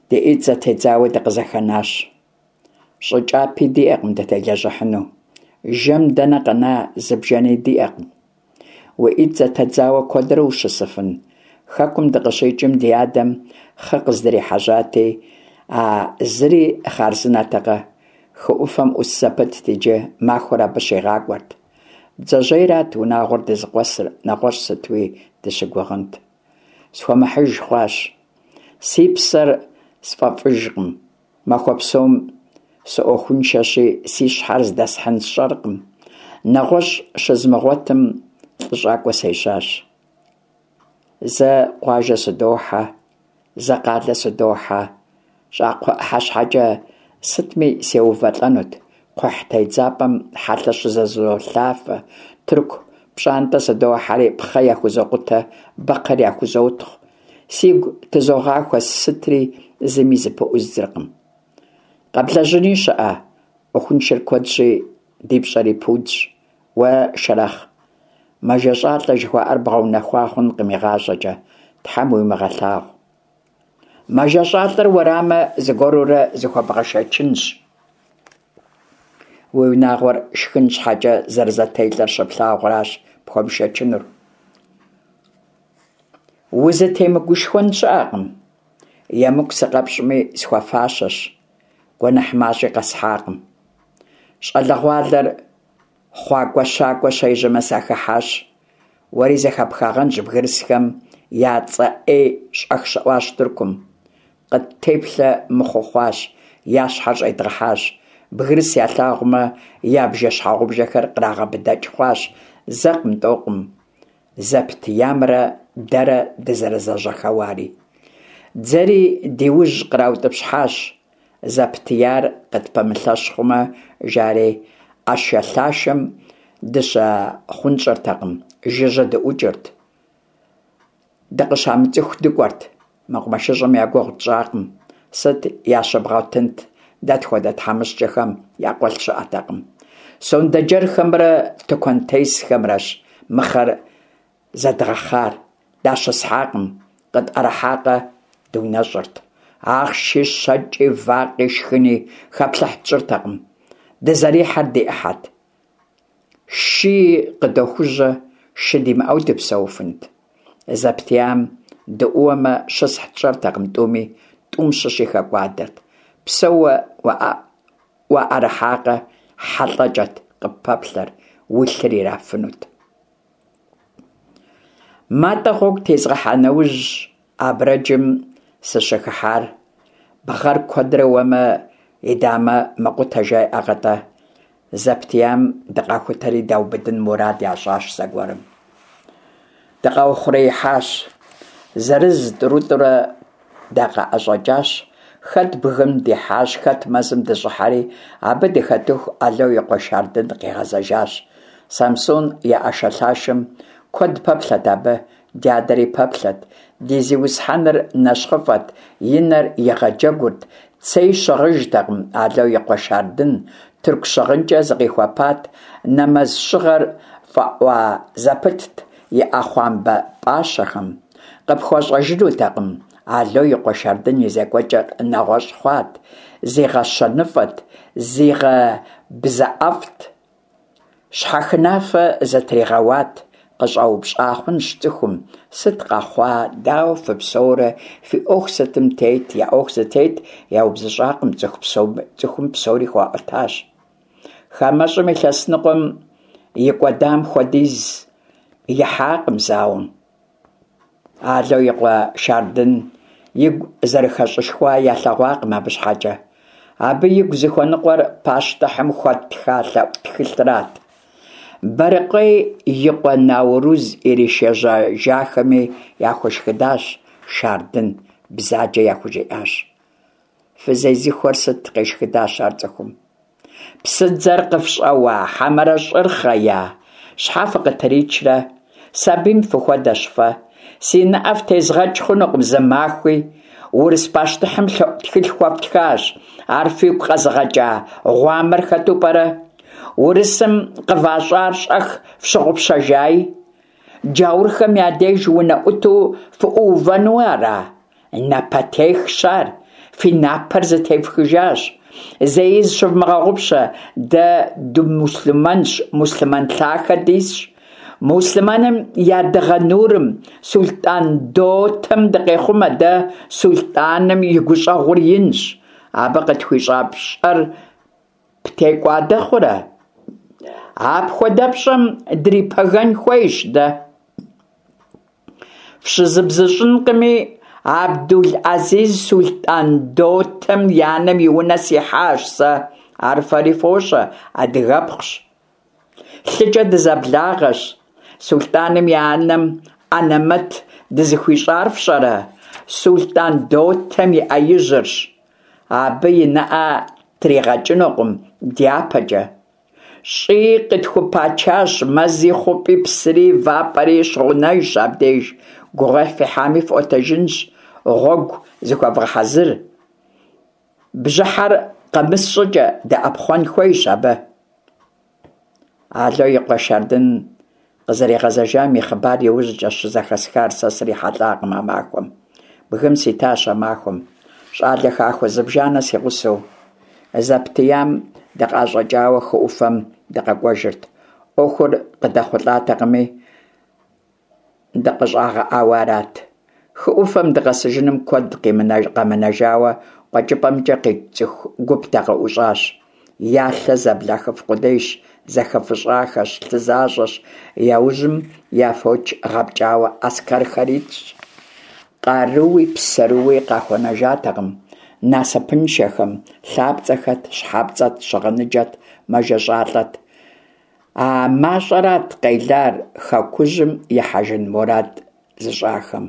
Ди ӀитӀ зэтедзауэ дыкъызэхэнащ. ЩӀы кӀапи диӀэкъым дытелэжьыхьыну, жэм дэнэ къэна, зы бжэни диӀэкъым. Уи ӀитӀ зэтедзауэ куэдрэ ущысыфын? Хэкум дыкъыщикӀым ди адэм хъы къыздрихьэжьати, а зыри хъарзынэтэкъэ? Хы Ӏуфэм Ӏус зэпытт иджы, махуэр абы щигъакӀуэрт. Бдзэжьейрат унагъуэр дызыкъуэсыр, нэгъуэщӀ сытуи дыщыгугъынт? Схуэмыхьыж хъуащ. Си псэр сфӀэфӀыжкъым. Махуэ псом сыӀуэхуншэщи, си щхьэр здэсхьын сщӀэркъым. НэгъуэщӀ щызмыгъуэтым, лӀыщӀакӀуэ сежьащ. Зэ къуажэ сыдохьэ, зэ къалэ сыдохьэ, щӀакхъуэ Ӏыхьэ щхьэкӀэ сытми сеувэлӀэнут. Кхъухь тедзапӀэм хьэлъэ щызызолъафэ, тырку пщӀантӀэ сыдохьэри пхъэ яхузокъутэ, бэкхъыр яхузотхъу. Сигу тызогъахуэ сытри, зыми зыпыӀуздзыркъым. Къэблэжьыни щыӀэ? Ӏуэхуншэр куэдщи, ди пщӀэри пудщ. Уэ шэрэхъ мэжэщӀалӀэ жыхуаӀэр бгъэунэхуа хъункъым игъащӀэкӀэ, Тхьэм уимыгъэлъагъу. МэжэщӀалӀэр уэрамэ, зыгуэрурэ зыхуэбгъэшэчынщ. Уи унагъуэр шхын щхьэкӀэ зэрызэтелӀэр щыплъагъуращ пхуэмышэчынур. Узытемыгушхуэн щыӀэкъым. ЕмыкӀу сыкъэпщӀми, схуэфащэщ. Гуэныхь мащӀи къэсхьакъым. ЩӀалэгъуалэр хъуакӀуэщакӀуэ щежьэмэ, сахыхьащ. Уэри зэхэпхагъэнщ, бгырысхэм я цӀэ Ӏей щӀэх щыӀуащ Тыркум. Къыттеплъэ мыхъуу хъуащ, я щхьэр щӀедгъэхьащ. Бгырыс ялъагъумэ, я бжэ-щхьэгъубжэхэр кърагъэбыдэкӀ хъуащ. Зэкъым-тӀэукъым зэптиямрэ дэрэ дызэрызэжьэхэуари. Дзэри ди ужь къраутӀыпщхьащ, зэптияр къытпэмылъэщ хъумэ, жари Ӏэшэлъашэм дыщахъунщӀэртэкъым, жыжьэ дыӀукӀырт, дыкъыщамыцӀыху дыкӀуэрт. МэкъумэшыщӀэм я гугъу тщӀакъым. Сыт ящыбгъуэтынт, дэ тхуэдэ тхьэмыщкӀэхэм якъуэлъ щыӀэтэкъым. Сондэджэрхэмрэ тыкуэнтесхэмрэщ мыхъэр зэдгъэхъар, дащысхьакъым, къытӀэрыхьакъэ дыунэщӀырт. Ахъши, щэкӀи, вакъи, шхыни хэплъыхь тщӀыртэкъым, дызэрихьэр ди Ӏыхьэт. Шыи къыдохужьэ, шы димыӀэу дыпсэуфынт? Зэптиям дыӀууэмэ, щысхь тщӀэртэкъым тӀуми, тӀум щыщи хэкӀуадэрт. Псэууэ уаӀэрыхьакъэ, хьэ лӀэкӀэт къыппэплъэр, уи лъыр ирафынут. Матӏэ гъуэгу тезгъэхьа нэужьщ Абрэджым сыщыхыхьар. Бгъэр куэдрэ уэмэ, и дамэ мэкъутэ жаӀэркъэ-тӀэ. Зэптиям дыкъахутэри даубыдын мурад ящӀащ зэгуэрым. Дыкъаухъуреихьащ. Зырыз-тӀурытӀурэ дакъыӀэщӀэкӀащ. Хэт бгым дихьащ, хэт мэзым дыщӀыхьэри, абы дыхэтыху Ало и къуэ Шардын къигъэзэжащ. Самсун и Ӏэшэлъашэм куэд пэплъэрт абы, дядэри пэплъэрт. Ди зиусхьэныр нэщхъыфӀэт, и нэр игъэджэгурт, цей щыгъыжтэкъым Ало и къуэ Шардын, тырку щыгъынкӀэ зыкъихуэпат, нэмэз щыгъэр фӀэӀуа зэпытт и Ӏэхъуамбэ пӀащэхэм. КъыпхуэщӀэжынутэкъым, Ало и къуэ Шардын и зекӀуэкӀэр нэгъуэщӀ хъуат, зигъэщэныфӀэт, зигъэбзэӀэфӀт, щхьэхынафэ зытригъэуат. КъыщӀэупщӀа хъунщ цӀыхум: сыт къэхъуа, дауэ фыпсэурэ, фи Ӏуэху сытым тет? Я Ӏуэху зытет яубзыщӀакъым, цӀыхум псори хуаӀуэтащ. ХамэщӀым илъэс ныкъуэм икӀуэдам хуэдиз ихьакъым зауэм. Ало и къуэ Шардын игу зэрыхэщӀышхуа ялъэгъуакъым абы щхьэкӀэ. Абы игу зыхуэныкъуэр пащтыхьым хуэттха лъэӀу тхылърат. Бэрыкъуей и къуэ Науруз иришэжьэжахэми яхуэшхыдащ Шардын, бзаджэ яхужиӀащ. Фызезыхуэр сыт, къешхыдащ ар цӀыхум. Псыдзэр къыфщӀэуа, хьэмэрэ щӀыр хъея? Щхьэ фыкъытричрэ? Сабийм фыхуэдэщ фэ. Си нэӀэ фтезгъэкӀ хъунукъым зы махуи. Урыс пащтыхьым лъэӀу тхылъ хуэфтхащ. Ар фигу къэзыгъэкӀа гъуамэр хэту пӀэрэ? Урысым къыващӀар щӀэх фщыгъупщэжаи? Джаурхэм я деж унэӀуту фыӀуувэну ара? Напэтехщ ар, фи напэр зытефхыжащ. Зэи зыщывмыгъэгъупщэ, дэ дымуслъымэнщ, муслъымэн лъахэ дисщ. Муслъымэным я дыгъэ нурым, сулътӀан дотэм дыкъехъумэ дэ, сулътӀаным и гущӀэгъур инщ. Абы къытхуищӀа пщӀэр птекӀуадэ хъурэ? АпхуэдэпщӀэм дрипэгэн хуейщ дэ. ФщызбзыщӀынкъыми, Абдул-Азиз сулътӀан дотэм и анэм и унэ сихьащ сэ. Ар фэри фощӀэ, адыгэпхъущ. ЛъыкӀэ дызэблагъэщ. СулътӀаным и анэм анэмэт дызыхуищӀар фщӀэрэ? СулътӀан дотэм и Ӏэ ижьырщ. Абы и нэӀэ тригъэкӀынукъым дяпэкӀэ. ЩӀыи къытхупачащ, мэзи, хъупӀи, псыри, вапӀэри щыгъунэжщ абдеж. Гугъуехь фихьами фӀуэтэжынщ, гъуэгу зыхуэвгъэхьэзыр. Бжьыхьэр къэмыс щӀыкӀэ дыӀэпхъуэн хуейщ абы. Ало и къуэ Шардын къызэригъэзэжам и хъыбар иужькӀэщ щызэхэсхар, сэ срихьэлӀакъым а махуэм. Бгым ситащ а махуэм, щӀалэ хахуэ зыбжанэ си гъусэу. Зэптиям дыкъыӀэщӀэкӀауэ хы Ӏуфэм дыкъэкӀуэжырт. Ӏуэхур къыдэхъулӀатэкъыми, дыкъыщӀагъэӀауэ арат. Хы Ӏуфэм дыкъэсыжыным куэд къэмынэжауэ, къуэкӀыпӀэмкӀэ къикӀ цӀыху гуп дакъыӀущӀащ. Я лъэ зэблахыф къудейщ, зэхэфыщӀахэщ, лъы защӀэщ, я ужьым я фоч гъэпкӀауэ аскэрхэр итщ. Къарууи псэрууи къахуэнэжатэкъым. насыпыншэхэм, лъапцӏэхэт, щхьэпцӏэт, щыгъыныджэт, мэжэщӏалӏэт. А мащӏэрат къелар хэкужьым ихьэжын мурад зыщӏахэм.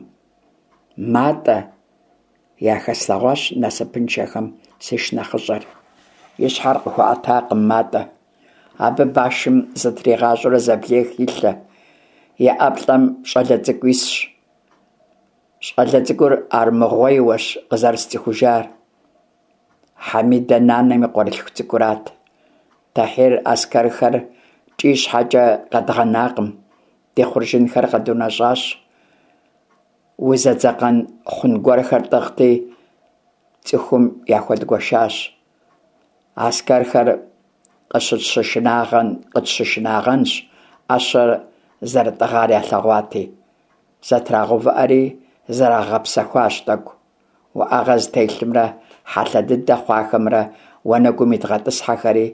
Матӏэ яхэслъэгъуащ насыпыншэхэм си шынэхъыщӏэр. И щхьэр къыхуэӏэтакъым Матӏэ. Абы башым зытригъащӏэурэ зэблех и лъэ. И ӏэплӏэм щӏалэ цӏыкӏу исщ. Щӏалэ цӏыкӏур армыгъуейуэщ къызэрысцӏыхужар. Хьэмидэ нанэм и къуэрылъху цӏыкӏурат. Тэхьир аскэрхэр кӏий щхьэкӏэ къэдгъэнакъым, ди хъуржынхэр къэдунэщӏащ, узэдзэкъэн хъун гуэрхэр тӏыгъти, цӏыхум яхуэдгуэшащ. Аскэрхэр къытщышынагъэнщ, ӏэщэр зэрытӏыгъар ялъэгъуати. Зэтрагъэувыӏэри зрагъэгъэпсэхуащ тӏэкӏу. Уӏэгъэ зытелъымрэ хьэлъэ дыдэ хъуахэмрэ уанэгум идгъэтӏысхьэхэри,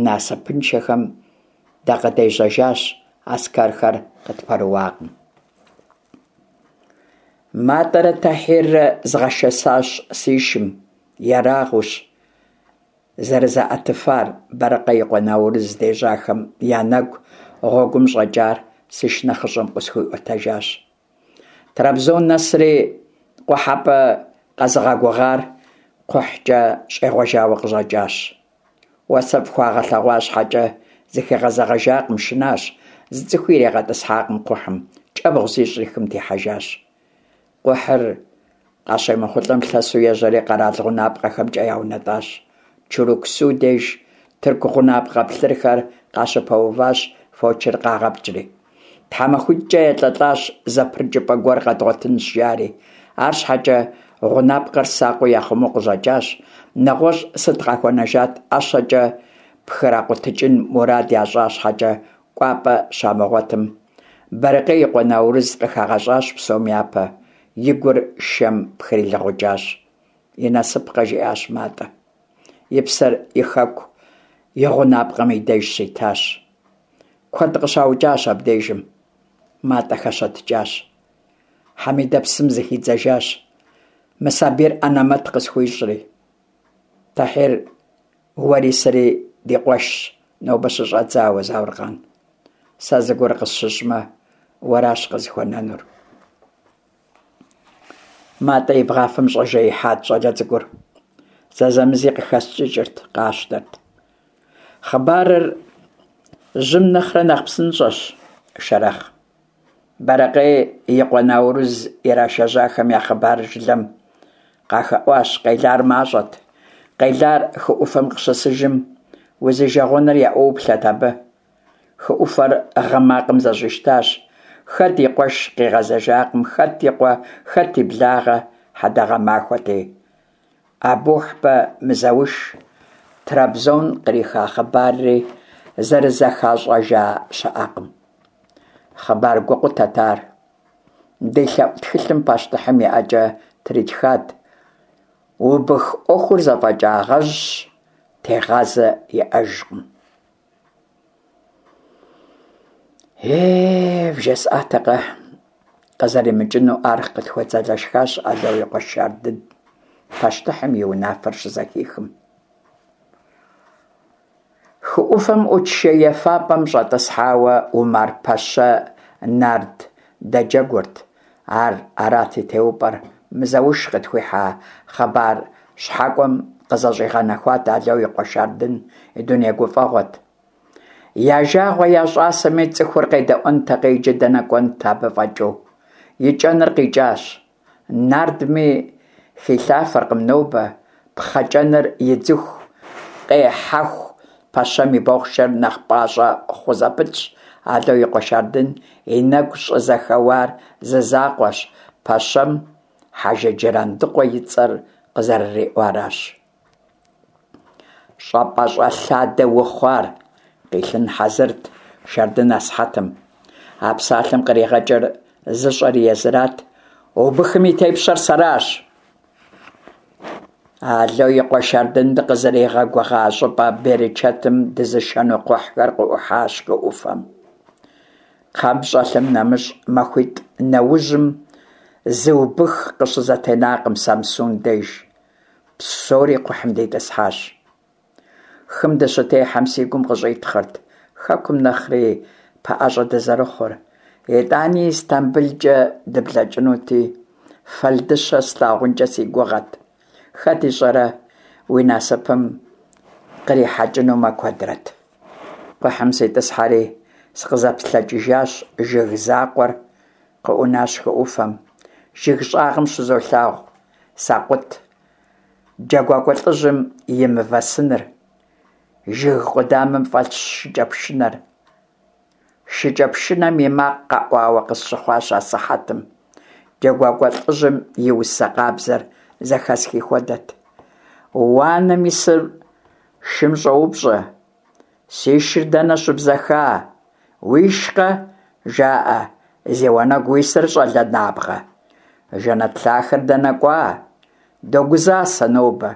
насыпыншэхэм дакъыдежьэжащ, аскэрхэр къытпэрыуакъым. Матӏэрэ Тэхьиррэ згъэшэсащ си шым, ерагъыущ зэрызаӏэтыфар. Бэрыкъэ и къуэ Наурыз здежьахэм я нэгу гъуэгум щӏэкӏар си шынэхъыщӏэм къысхуиӏуэтэжащ. Трабзон нэсри, къухьэпӏэ къэзыгъэгугъар кхъухькӏэ щӏегъуэжауэ къыщӏэкӏащ. Уасэфӏ хуагъэлъэгъуа щхьэкӏэ зыхигъэзэгъэжакъым, шынащ, зы цӏыхуи иригъэтӏысхьакъым кхъухьым, кӏэбгъу зищӏри хым техьэжащ. Кхъухьыр къащемыхъулӏэм лъэсу ежьэри къэрал гъунапкъэхэмкӏэ яунэтӏащ. Чуруксу деж тырку гъунапкъэ плъырхэр къащыпэуващ, фочыр къагъэпкӏри. Тхьэмахуитӏкӏэ елӏэлӏащ зэпрыкӏыпӏэ гуэр къэдгъуэтынщ, жари. Арщхьэкӏэ гъунапкъэр сакъыу яхъумэу къыщӏэкӏащ. Нэгъуэщӏ сыт къахуэнэжат, ӏэщэкӏэ пхракъутыкӏын мурад ящӏа щхьэкӏэ, кӏуапӏэ щамыгъуэтым. Бэрыкъей и къуэ Наурыз къыхагъэщӏащ псом япэ, и гур шэм пхрилыгъукӏащ. И насыпкъэ, жиӏащ Матӏэ. И псэр и хэку и гъунапкъэм и деж щитащ. Куэд къыщаукӏащ абдежым. Матӏэ хэщэтыкӏащ. Хьэмидэ псым зыхидзэжащ, мы сабийр ӏэнэмэт къысхуищӏри. Тэхьир, уэри сэри ди къуэшщ нобэ щыщӏэдзауэ, Зауркъан. Сэ зыгуэр къысщыщӏмэ, уэращ къызыхуэнэнур. Матӏэ и бгъафэм щӏэжеихьат щӏалэ цӏыкӏур. Зэзэмызи къыхэскӏыкӏырт, къащтэрт. Хъыбарыр жьым нэхърэ нэхъ псынщӏэщ, Шэрэхъ. Бэрыкъей и къуэ Наурыз ирашэжьахэм я хъыбарыр жылэм къахэӏуащ, къелар мащӏэт. Къелар хы ӏуфэм къыщысыжым, узижэгъуэныр яӏуоплъэт абы. Хы ӏуфэр гъы макъым зэщӏищтащ. Хэт и къуэш къигъэзэжакъым, хэт и къуэ, хэт и благъэ, хьэдэгъэ махуэти. Абухьбэ Мызауш Трабзон къриха хъыбарри зэрызэхащӏэжа щыӏэкъым. Хъыбар гукъутэт ар. Ди лъэӏу тхылъым пащтыхьым и ӏэкӏэ тритхат: «Убых ӏуэхур зэфӏэкӏагъэжьщ, тегъазэ иӏэжкъым». Е вжесӏатэкъэ къызэримыкӏыну ар, къытхуэдзэлэшхащ Ало и къуэ Шардын, пащтыхьым и унафэр щызэхихым. Хы ӏуфэм ӏут шей ефапӏэм щӏэтӏысхьауэ Умар-пэщэ нард дэджэгурт. Ар арат и теупӏэр. Мызауш къытхуихьа хъыбар щхьэкӏуэм къызэщӏигъэнэхуат Ало и къуэ Шардын и дуней гуфӏэгъуэт. Я жагъуэ я щӏасэми цӏыхур къедэӏуэнтэкъэ, иджы дэнэ кӏуэнт абы фӏэкӏыу. И кӏэныр къикӏащ. Нардми хилъафэркъым нобэ, пхъэкӏэныр идзыху, къехьэху пэщэм и бохъшэр нэхъ пӏащӏэ хъу зэпытщ. Ало и къуэ Шардын и нэгу щӏызэхэуар зы закъуэщ – пэщэм Хьэжы Джырандыкъуэ и цӏэр къызэрыриӏуаращ. ЩӀапӀэщӀэлъадэ ухъу ар! Къилъын хьэзырт Шардын асыхьэтым. А псалъэм къригъэкӏыр зыщӏэри езырат: «Убыхым и тепщэр сэращ!» Ало и къуэ Шардын дыкъызэригъэгугъа щӏыпӏэ берычэтым дызышэну кхъухьхэр къыӏухьащ хы ӏуфэм. Кхъэм щӏэлъым нэмыщӏ, махуитӏ нэужьым зы убых къыщызэтенакъым Самсун деж. Псори кхъухьым дитӏысхьащ. Хым дыщытехьэм си гум къыщӀитхъырт хэкум нэхъри пэӀэщӀэ дызэрыхъур. ИтӀани, ИстамбылкӀэ дыблэкӀынути, фэлдыщэ слъагъункӀэ си гугъэт. Хэт ищӀэрэ, уи насыпым кърихьэкӀынумэ, куэдрэт. Кхъухьым ситӀысхьэри, сыкъызэплъэкӀыжащ жыг закъуэр къыӀунащ хы Ӏуфэм. Жыг щӀагъым щызолъагъу Сакъут джэгуакӀуэ лӀыжьым и мывэ сыныр. Жыг къудамэм фӀэлъщ шыкӀэпшынэр. ШыкӀэпшынэм и макъ къэӀуауэ къысщыхъуащ асыхьэтым, джэгуакӀуэ лӀыжьым и усэ къабзэр зэхэсхи хуэдэт. Уанэм исыр шым щӀоупщӀэ: «Си шыр дэнэ щыбзэха?» «Уишкъэ?» – жаӀэ, «зи уанэгу уисыр щӀалэ набгъэ?» Жэнэт лъахэр дэнэ кӀуа? Догузасэ нобэ,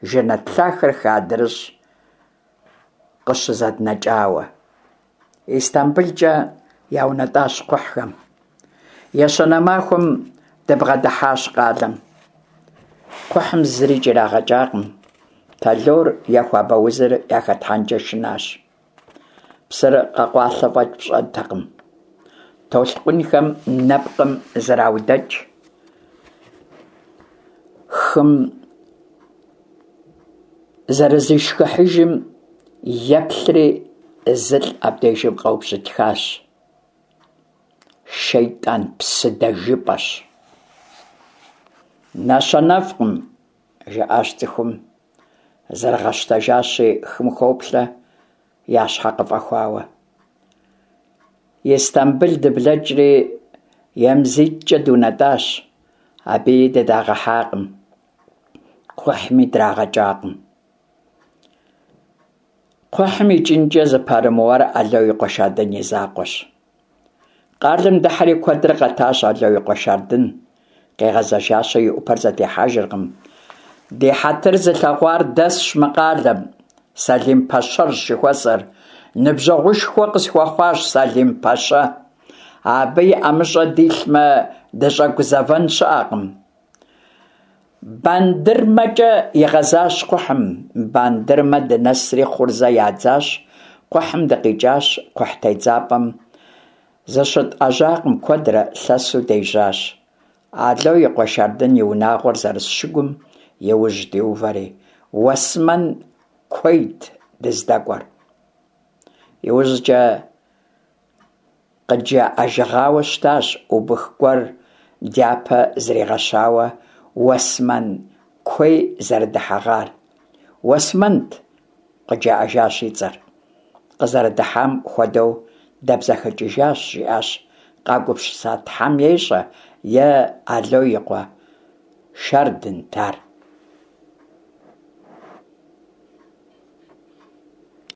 жэнэт лъахэр хы адрыщӀ къыщызэднэкӀауэ. ИстамбылкӀэ яунэтӀащ кхъухьхэм. Ещанэ махуэм дыбгъэдыхьащ къалэм. Кхъухьым зыри кӀэрагъэкӀакъым, тэлор е хуабэузыр яхэтхьэнкӀэ шынащ. Псыр къэкъуалъэ фӀэкӀ пщӀэнтэкъым. Толъкъунхэм нэпкъым зраудэкӀ. Хым зэрызишхыхьыжым еплъри, зылӀ абдежым къэубжьытхащ: «ШейтӀан псы дэжыпӀэщ». «НэщэнэфӀкъым», – жаӀащ цӀыхум, зэрыгъэщтэжащи, хым хоплъэ, я щхьэ къыфӀэхуауэ. Истамбыл дыблэкӀри, ЕмзиткӀэ дунэтӀащ. Абыи дыдагъэхьакъым, кхъухьми драгъэкӀакъым. Кхъухьым икӀынкӀэ зыпэрымыуар Ало и къуэ Шардын и закъуэщ. Къалэм дыхьэри куэдрэ къэтащ Ало и къуэ Шардын. Къигъэзэжащи, и Ӏупэр зэтехьэжыркъым. Ди хьэтыр зылъэгъуар дэсщ мы къалэм, Сэлим-пэщэрщ жыхуэсӀэр. Ныбжьэгъушхуэ къысхуэхъуащ Сэлим-пэщэ. Абы и ӀэмыщӀэ дилъмэ, дыщӀэгузэвэн щыӀэкъым. БандырмэкӀэ игъэзащ кхъухьым. Бандырмэ дынэсри хъурзэ ядзащ. Кхъухьым дыкъикӀащ. Кхъухь тедзапӀэм зыщытӀэжьакъым куэдрэ, лъэсу дежьащ. Ало и къуэ Шардын и унагъуэр зэрыс шыгум и ужь диувэри, Уэсмэн куейт дыздэкӀуэр. ИужькӀэ къыджаӀэжыгъауэ щытащ убых гуэр дяпэ зригъэщауэ Уэсмэн куей зэрыдыхьэгъар. Уэсмэнт, къыджаӀэжащ и цӀэр. Къызэрыдыхьам хуэдэу дэбзэхыкӀыжащ, жиӀащ, къагупсыса Тхьэм ещӀэ, е Ало и къуэ Шардынт ар.